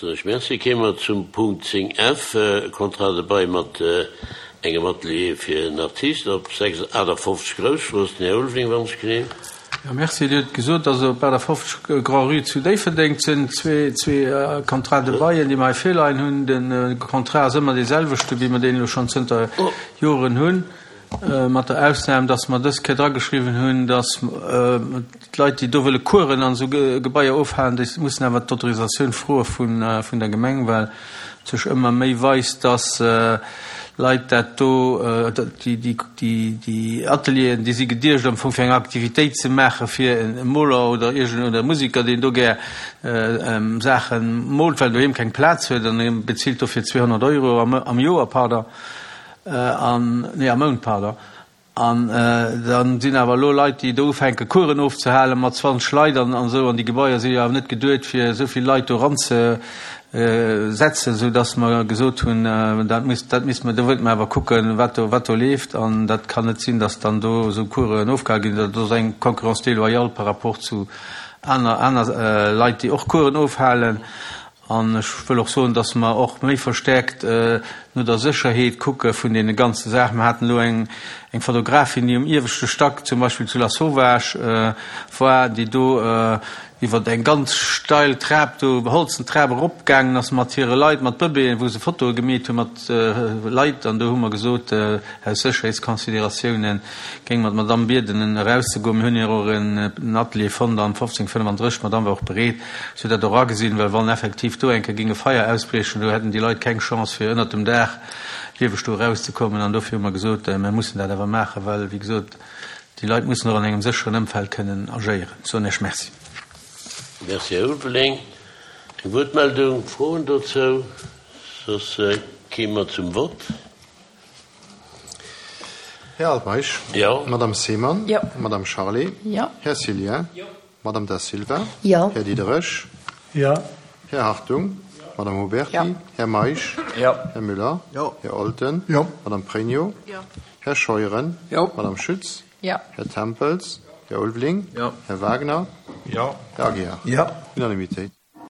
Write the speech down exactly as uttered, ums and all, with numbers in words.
Soen ech Merci. Kéime mer zum Punkt zéng F, Contrat de bail mat engem Atelier fir en Artiste op achtafoffzeg Grousstrooss. Den Här Ulveling, wann ech genehm. Jo, merci. Dir hutt gesot, dass op achtafoffzeg Grand-Rue zu Déifferdeng sinn zwee, zwee Contrats de bail, déi mer hei virleien hunn. De Contrat ass ëmmer dee selwechte, wéi mer deen elo schonn zënter Joren hunn, mat der Ausnam, dass mer dës Kéier drageschriwwen hunn, dass d'Leit, déi do wëlle Coursen an esou Gebaier ofhalen, déi mussen awer d'Autorisatioun froe vun, vun der Gemeng, well et sech ëmmer méi weist, dass Leit dat do, déi, déi, déi, déi Atelieren, déi si geduecht am Fong fir eng Aktivitéit ze maache fir e Moler oder iergend oder e Musiker, deen do gär Saache moolt, well en doheem keng Plaz huet an e bezilt dofir zweehonnert Euro am, am Joer, pardon, an, nee, am Mount, pardon. An dann sinn awer elo Leit, déi do ufänke Coursen ofzehalen mat zwanzeg Leit an esou, an déi Gebaier si jo awer net geduet, fir esou vill Leit do eranzesetzen, soudass mer gesot hunn, dat muss, dat misste mer, do wëllt mer awer kucken, wat do, wat do leeft. An dat kann net sinn, dass dann do esou Coursen ofgehale ginn. Dat ass eng Concurrence déloyale par rapport zu aner, aner Leit, déi och Coursen ofhalen. An ech wëll och soen, dass mer och méi verstärkt no der Sécherheet kucke vun deene ganze Saachen. Mer haten elo eng Fotografin, déi um ieweschte Stack zum Beispill zu Lasauvage war, déi do iwwer eng ganz steil Trap do, beholzen Trap eropgaangen ass mat hire Leit, mat Bëbeeën, wou se Fotoe gemeet hu mat Leit. An do hu mer gesot, aus Sécherheetsconsidératiounen géinge mer d'Madamm bieden, erauszegoen. Mir hunn hir och en Atelier fonnt am fofzéng fënnefandrësseg. D'Madamm war och bereet. Si huet dat och agesinn, well wann effektiv do eng Kéier géing e Feier ausbriechen, do hätten déi Leit keng Chance, fir ënnert dem Daach lieweg do erauszekommen. An dofir hu mer gesot, mir mussen dat awer maachen, well, wéi gesot, déi Leit mussen och an engem sécheren Ëmfeld kënnen agéieren. Soen Iech Merci. Merci, Här Ulveling. Eng Wuertmeldung, Froen dozou? Soss kéime mer zum Vott. Här Altmeisch. Jo. Madame Seemann. Jo. Madame Charlé. Jo. Här Cillien. Jo. Madame Da Silva. Jo. Här Diderich. Jo. Här Hartung. Jo. Madame Huberty. Jo. Här Meisch. Jo. Här Müller. Jo. Här Olten. Jo. Madame Pregno. Jo. Här Scheuren. Jo. Madame Schütz. Jo. Här Tempels. Här Ulveling. Jo. Här Wagner. Jo. Här Aguiar. Jo. Unanimitéit.